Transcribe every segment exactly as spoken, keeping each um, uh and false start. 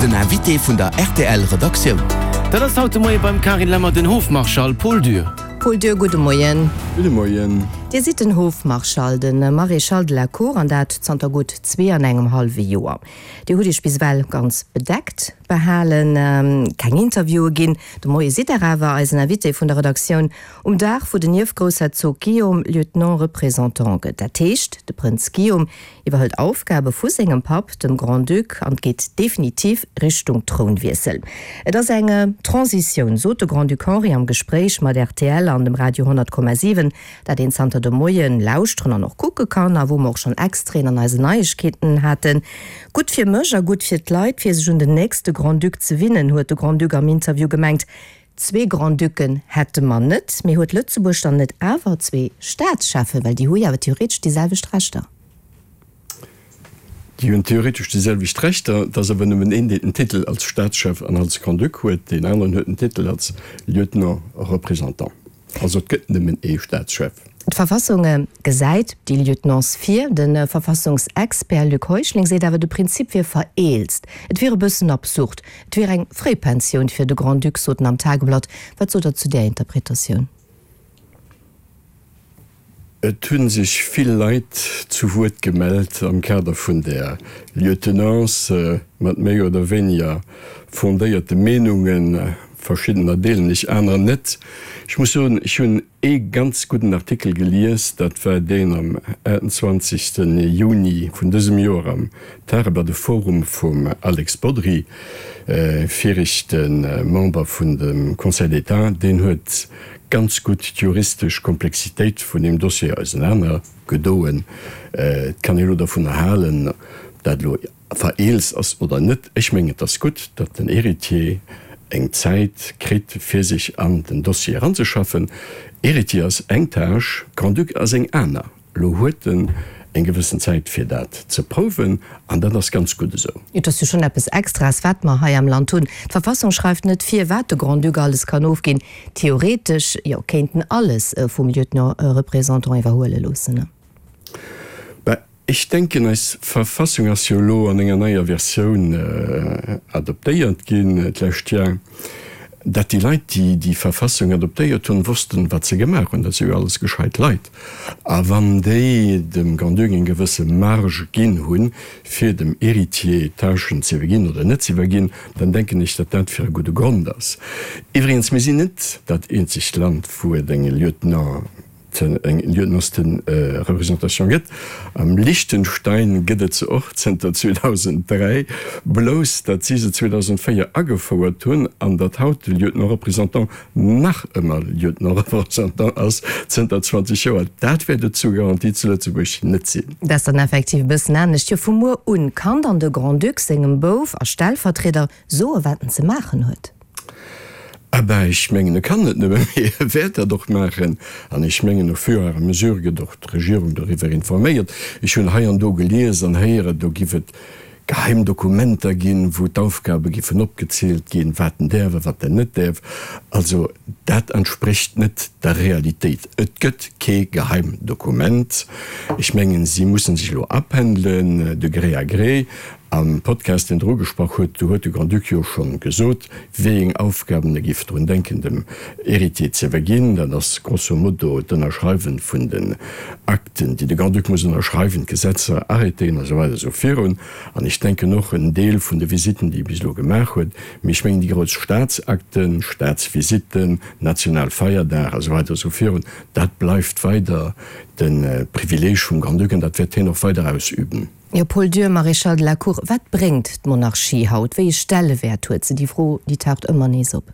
Den Invité vun der rtl Redaktioun. Dat ass haut de Moie beim Carine Lemmer den Hofmarschall Paul Dürr. Paul Dürr, gudde Moien. Gudde Moien. Dir sidd den Hofmarschall, de Maréchal de la Cour, an dat zanter gutt zwee an engem hallwe Joer. Dir hutt Iech bis ewell ganz bedeckt behalen, keng Interviewe ginn. De Moie sidd Der awer eisen Invité vun der Redaktioun um Dag, wou den Ierfgroussherzog Guillaume Lieutenant-Représentant gëtt. Dat heescht, de Prënz Guillaume iwwerhëlt Aufgabe vu sengem Papp, dem Grand-Duc, an et geet definitiv Richtung Trounwiessel. Et ass eng Transitioun, sot de Grand-Duc Henri am Gespréich mat rtl an dem Radio honnert Komma siwen, dat een zanter de Moien lauschteren an och kucke kann a wou mer och schonn Extraiten an eisen Neiegkeeten haten. Gutt fir mech a gutt fir d'Leit, fir sech un den nächste Grand-Duc ze winnen, huet de Grand-Duc am Interview gemengt. Zwee Grand-Ducken hätte mer net, mee huet Lëtzebuerg dann net awer zwee Staatscheffen, well déi hu jo awer theoretesch déi selwecht Rechter? Déi hunn theoretesch déi selwecht Rechter, et ass awer nëmmen een, deen den Titel als Staatschef an als Grand-Duc huet, deen aneren huet den Titel als Lieutenant-Représentant. Also et gëtt nëmmen ee Staatschef. D'Verfassung gesäit déi Lieutenance vir. De Verfassungsexpert Luc Heuschling seet awer, de Prinzip wier vereelzt. Et wier e bëssen absurd. Et wier eng Fréipensioun fir de Grand-Duc, sot en am Tageblatt. Wat sot Der zu där Interpretatioun? Et hu sech vill Leit zu Wuert gemellt am Kader vun där Lieutenance mat méi oder wéiniger fondéierte Meenungen. Verschiddener deelen ech, anerer net. Ech muss soen, ech hunn ee ganz gudden Artikel gelies, dat war deen am achtundzwanzegste Juni vun dësem Joer am Tageblatt, de Forum vum Alex Bodry, viregte Member vun dem Conseil d'État. Deen huet ganz gutt d'juristesch Komplexitéit vun deem Dossier ausenaner gedoen. Et kann ee elo dovunner halen, ob dat elo vereelzt ass oder net. Ech mengen, et ass gutt, datt den Héritier eng Zäit kritt, fir sech an den Dossier eranzeschaffen. Héritier ass eng Tâche, Grand-Duc ass eng aner. Elo huet en eng gewëssen Zäit, fir dat ze prouwen, an dat ass ganz gutt esou. Et ass jo schonn eppes Extraes, wat mer hei am Land hunn. D'Verfassung schreift net vir, wat de Grand-Duc alles kann ofginn. Theoretesch, jo, kéint en alles vum Lieutenant-Représentant iwwerhuele loossen. Ben, ech denken, eis Verfassung ass jo elo an enger neier Versioun adoptéiert ginn d'lescht Jar. Dat déi Leit, déi déi Verfassung adoptéiert hunn, wossten, wat se gemaach hunn. Dat si jo alles gescheit Leit. A wann déi dem Grand-Duc eng gewësse Marge ginn hunn, fir dem Héritier Tâchen ze iwwerginn oder net ze iwwerginn, dann denken ech, datt dat fir e gudde Grond ass. Iwwregens, mir sinn net dat eenzegt Land, wou et eng Lieutenant, eng Lieutenantsreprésentation gëtt. Am Liechtenstein gëtt et se och zënter zweedausenddräi, blouss datt si se zweedausenddvéier agefouert hunn an datt haut de Lieutenant-Représentant nach ëmmer Lieutenant-Représentant ass, zënter zwanzeg Joer. Dat wäert et zur Garantie zu Lëtzebuerg net sinn. Dat ass dann effektiv e bëssen anescht. Jo, vu muer un kann dann de Grand-Duc sengem Bouf a Stellvertrieder soen, wat en ze maachen huet. Ah ben, ech mengen, e kann net nëmme, mee e wäert dat och maachen. An ech mengen, au fur et à mesure gëtt och d'Regierung doriwwer informéiert. Ech hunn hei an do gelies an héieren, do giff et geheim Dokumenter ginn, wou d'Aufgabe giffen opgezielt ginn, wat en däerf a wat en net däerf. Also, dat entsprécht net der Realitéit. Et gëtt kee geheim Dokument. Ech mengen, si mussen sech elo apendelen, de gré à gré. Am Podcast, deen Der ugesprach hutt, do huet de Grand-Duc jo schonn gesot, wéi eng Aufgaben e géif drun denken, dem Héritier ze iwwerginn. Dat ass grosso modo d'Ënnerschreiwen vun den Akten, déi de Grand-Duc muss ënnerschreiwen, d'Gesetzer, Arrêtéen a sou weider esou virun. An ech denken och en Deel vun de Visitten, déi e bis elo gemaach huet. Mee ech mengen, déi grouss Staatsakten, Staatsvisitten, national Feierdag a sou weider esou virun, dat bleift weider de Privileeg vum Grand-Duc an dat wäert hien och weider ausüben. Jo, Paul Dürr, Maréchal de la Cour, wat bréngt d'Monarchie haut? Wéi ee Stellewäert huet se? Déi Fro, déi taucht ëmmer nees op.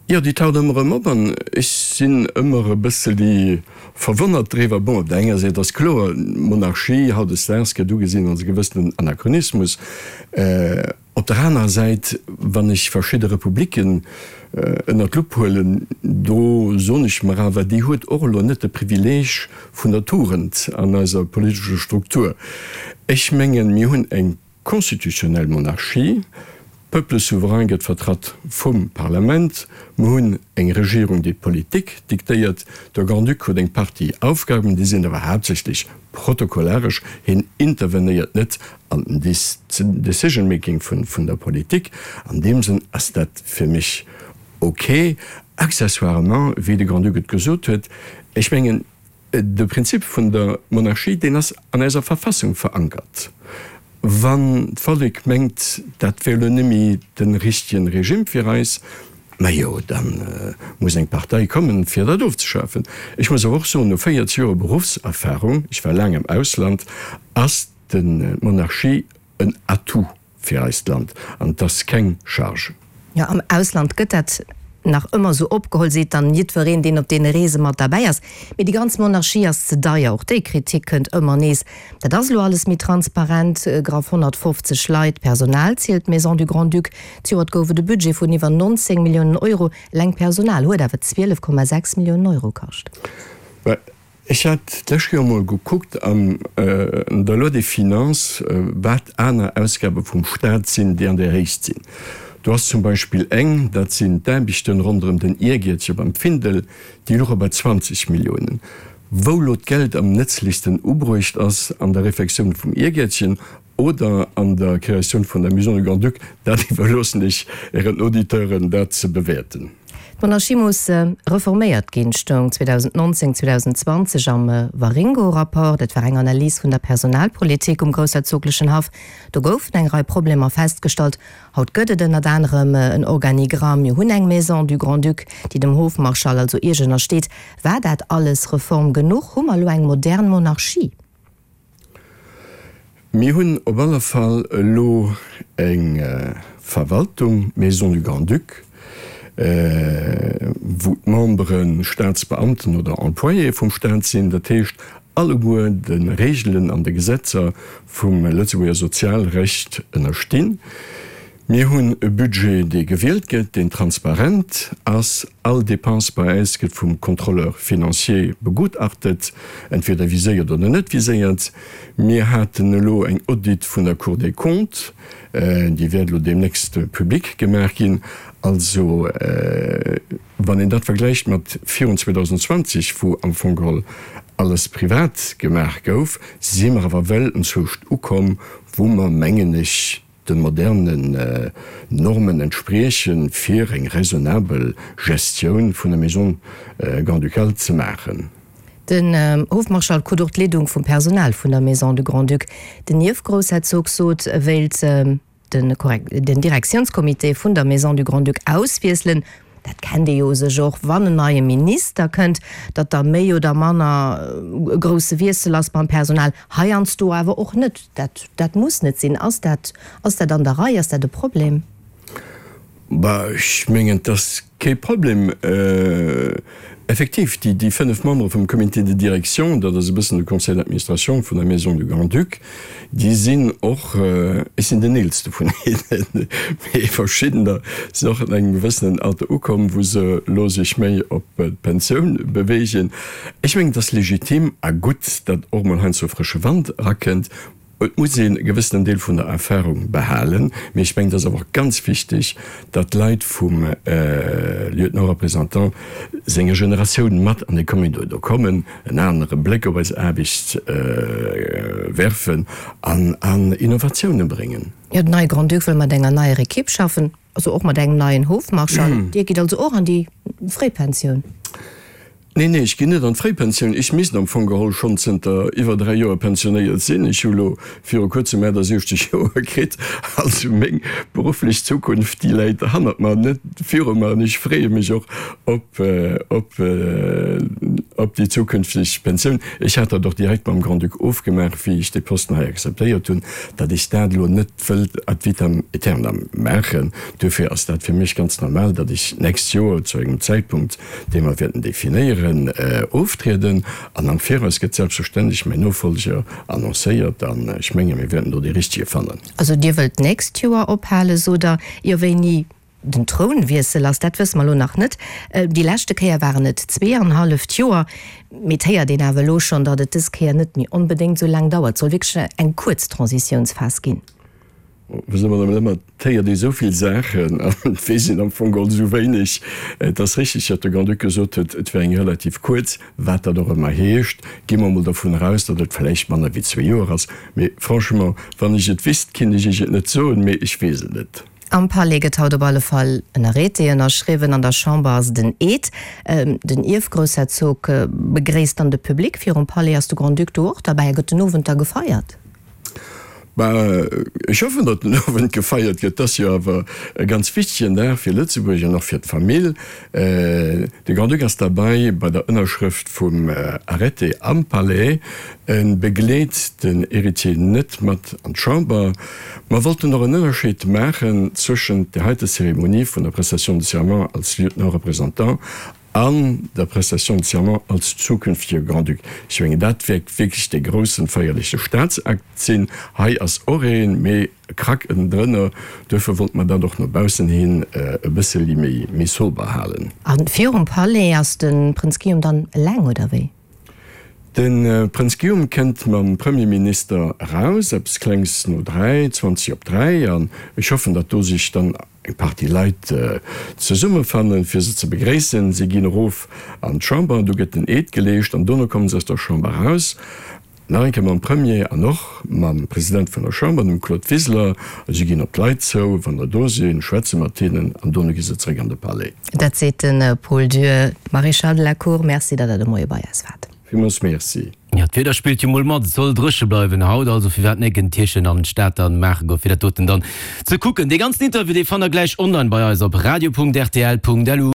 Jo, déi taucht ëmmer erëm op an ech sinn ëmmer e bësseli verwonnert driwwer. Bon, op der enger Säit ass kloer, d'Monarchie hautdesdaags gëtt ugesinn als e gewëssenen Anachronismus. Op der anerer Säit, wann ech verschidde Republiken ënner d'Lupp huelen, do soen ech mer awer, déi huet och elo net de Privileeg vun der Tugend an eiser politescher Struktur. Ech mengen, mir hunn eng constitutionnel Monarchie, Peuple souverain gëtt vertratt vum Parlament. Mer hunn eng Regierung, déi d'Politik diktéiert. De Grand-Duc huet eng Partie Aufgaben, déi sinn awer haaptsächlech protokollaresch. Hien intervenéiert net an den Decision-making vun der Politik. An deem Sënn ass dat fir mech ok. Accessoirement, wéi de Grand-Duc et gesot huet, ech mengen, de Prinzip vun der Monarchie, deen ass an eiser Verfassung verankert. Wann d'Vollek mengt, dat wär elo net méi de richtegen Regime fir eis, majo, da muss eng Partei kommen, fir dat ofzeschafen. Ech muss awer och soen, no véierzeg Joer Beruffserfahrung, ech war laang am Ausland, ass d'Monarchie en Atout fir eist Land an et ass keng Charge. Jo, am Ausland gëtt dat nach ëmmer esou opgeholl, seet dann jiddwereen, deen op deene Reese mat derbäi ass. Mee déi ganz Monarchie ass ze deier. Och déi Kritik kënnt ëmmer nees. Dat ass elo alles méi transparent. Graff honnertfofzeg Leit, Personal zielt d'Maison du Grand-Duc. Zejoert gouf et e Budget vun iwwer nonzéng Milliounen Euro. Eleng d'Personal huet awer zwielef Komma sechs Milliounen Euro kascht. Ech hat d'lescht Joer emol gekuckt an der Loi des finances, wat aner Ausgabe vum Stat sinn, déi an där Héicht sinn. Do ass zum Beispill eng, dat sinn d'Aarbechten ronderëm den Iergiertche beim Findel, déi louche bei zwanzeg Milliounen. Wou elo d'Geld am nëtzlechsten ubruecht ass, an der Refektioun vum Iergiertchen oder an der Kreatioun vun der Maison du Grand-Duc, dat iwwerloossen ech Ären Auditeuren, dat ze bewäerten. D'Monarchie muss reforméiert ginn, stoung zweedausendnonzéng, zweedausendzwanzeg am Waringo-Rapport. Dat war eng Analys vun der Personalpolitik um groussherzoglechen Haff. Do goufen eng Rei Problemer festgestallt. Haut gëtt et ënnert anerem en Organigramm. Mir hunn eng Maison du Grand-Duc, déi dem Hofmarschall also Iech ënnersteet. War dat alles Reform genuch? Hu mer elo eng modern Monarchie? Mir hunn op alle Fall elo eng Verwaltung, Maison du Grand-Duc, wou d'Membere Staatsbeamten oder Employéë vum Staat sinn, dat heescht alleguer de Regeln an de Gesetzer vum Lëtzebuerger Sozialrecht ënnerstinn. Mir hunn e Budget, dee gewielt gëtt, deen transparent ass. All Dépense bei eis gëtt vum Contrôleur financier begutachtet, entweder viséiert oder net viséiert. Mir haten elo eng Audit vun der Cour des Comptes, déi wäert elo deemnächst public gemaach ginn. Also, wann een dat vergläicht mat virun zweedausendzwanzeg, wou am Fong geholl alles privat gemaach gouf, si mer awer well enzwousch ukomm, wou mer, mengen ech, de modernen Normen entspriechen, fir eng raisonnabel Gestioun vun der Maison grand-ducale ze maachen. Den Hofmarschall krut och d'Leedung vum Personal vun der Maison du Grand-Duc. Den Ierfgroussherzog sot, e wéilt den Direktiounscomité vun der Maison du Grand-Duc auswiesselen. Dat kennt ee jo u sech och, wann en neie Minister kënnt, datt da méi oder manner e grousse Wiessel ass beim Personal. Heiansdo awer och net. Dat, dat muss net sinn. Ass dat, ass dat an der Rei? Ass dat e Problem? Bah, ech mengen, et ass kee Problem. Effektiv, déi, déi fënnef Membere vum Comité de direction, dat ass e bëssen de Conseil d'administration vun der Maison du Grand-Duc, déi sinn och, ech sinn den eelste vun hinnen, mee verschiddener sinn och an engem gewëssenen Alter ukomm, wou se elo sech méi op d'Pensioun beweegen. Ech mengen, et ass legitim a gutt, datt och mol heiansdo frësche Wand erakënnt. Et muss een e gewëssenen Deel vun der Erfahrung behalen, mee ech mengen, et ass awer och ganz wichteg, datt d'Leit vum Lieutenant-représentant senger Generatioun mat an de Comité do kommen, en anere Bléck op eis Aarbecht werfen an an Innovatiounen bréngen. Jo, den neie Grand-Duc wëll mat enger neier Ekipp schaffen, also och mat engem neien Hofmarschall. Dir gitt also och an déi Fréipensioun? Nee, nee, ech ginn net an d'Fréipensioun. Ech misst am Fong geholl schonn zënter iwwer dräi Joer pensionéiert sinn. Ech hu lo viru kuerzem achtasiechzeg Joer kritt. Also meng berufflech Zukunft, déi läit hannert mer, net viru mer. An ech freeë mech och op, op, op déi zukünfteg Pensioun. Ech hat dat och direkt mam Grand-Duc ofgemaach, wéi ech dee Posten hei akzeptéiert hunn, datt ech dat elo net wëllt ad vitam aeternam maachen. Duerfir ass dat fir mech ganz normal, datt ech d'nächst Joer zu engem Zäitpunkt, dee mer wäerten definéieren, oftrieden. An am Viraus gëtt selbstverständlech mäin Nofolger annoncéiert. An ech menge mir wäerten do dee Richtege fannen. Also Dir wëllt d'nächst Joer ophalen, sot Der. Jo, wéini den Trounwiessel ass, dat wësse mer elo nach net. Déi leschte Kéier waren et zwee an halleft Joer. Mee et héiert een awer elo schonn, datt et dës Kéier net méi onbedéngt esou laang dauert. Et soll wierklech eng kuerz Transitiounsphas ginn. Wësse Madame Lemmer, et héiert ee sou vill Saachen an et weess een am Fong geholl sou wéineg. Et ass richteg, datt de Grand-Duc gesot huet, et wär eng relativ kuerz, wat dat och ëmmer heescht. Gi mer emol dovun eraus, datt et vläicht manner wéi zwee Joer ass. Mee franchement, wann ech et wüsst, kinnt ech Iech et net soen, mee ech weess et net. Am Palais gëtt haut op alle Fall en Arrêté ënnerschriwwen, an der Chamber ass et en Eed. Den Ierfgroussherzog begréisst dann de Public virum Palais. Ass de Grand-Duc do och derbäi a gëtt den Owend da gefeiert? Bah, ech hoffen, datt den Owend gefeiert gëtt. Et ass jo awer e ganz wichtegen Dag fir Lëtzebuerg an och fir d'Famill. De Grand-Duc ass derbäi bei der Ënnerschrëft vum Arrêté am Palais. E begleet den Héritier net mat an d'Chamber. Mer wollten och en Ënnerscheed maachen zwëschent där heite Zeremonie vun der Prestation de serment als Lieutenant représentant an der Prestation de serment als zukünftege Grand-Duc. Ech mengen, dat wäert wierklech dee groussen feierleche Staatsakt sinn. Hei ass och een, mee e Krack ënnendrënner. Duerfir wollte mer dat och no baussen hin e bësseli méi, méi sober halen. A virum Palais ass de Prënz Guillaume dann eleng, oder wéi? De Prënz Guillaume kënnt mam Premierminister eraus, eppes klengs no dräi, zwanzeg op dräi, an ech hoffen, datt do sech dann eng Partie Leit zesummefannen, fir se ze begréissen. Si ginn erof an d'Chamber, do gëtt den Eed geleescht an dono komme se aus der Chamber eraus, nach eng Kéier mam Premier an och mam President vun der Chamber, dem Claude Wiseler. A si ginn op d'Leit zou, wann der do sinn, schwätze mat hinnen an dono gi se zeréck an de Palais. Dat seet de Paul Dürr. Maréchal de la Cour, Merci, datt Der de Moie bei eis waart. Villmools Merci. Jo, d'Wieder spillt jo mol mat, et soll dréche bleiwen haut, also firwat net en Tierchen an d'Stad dann maache goen, fir dat doten dann ze kucken. Dee ganzen Interview, dee fannt der gläich online bei eis op radio.rtl.lu.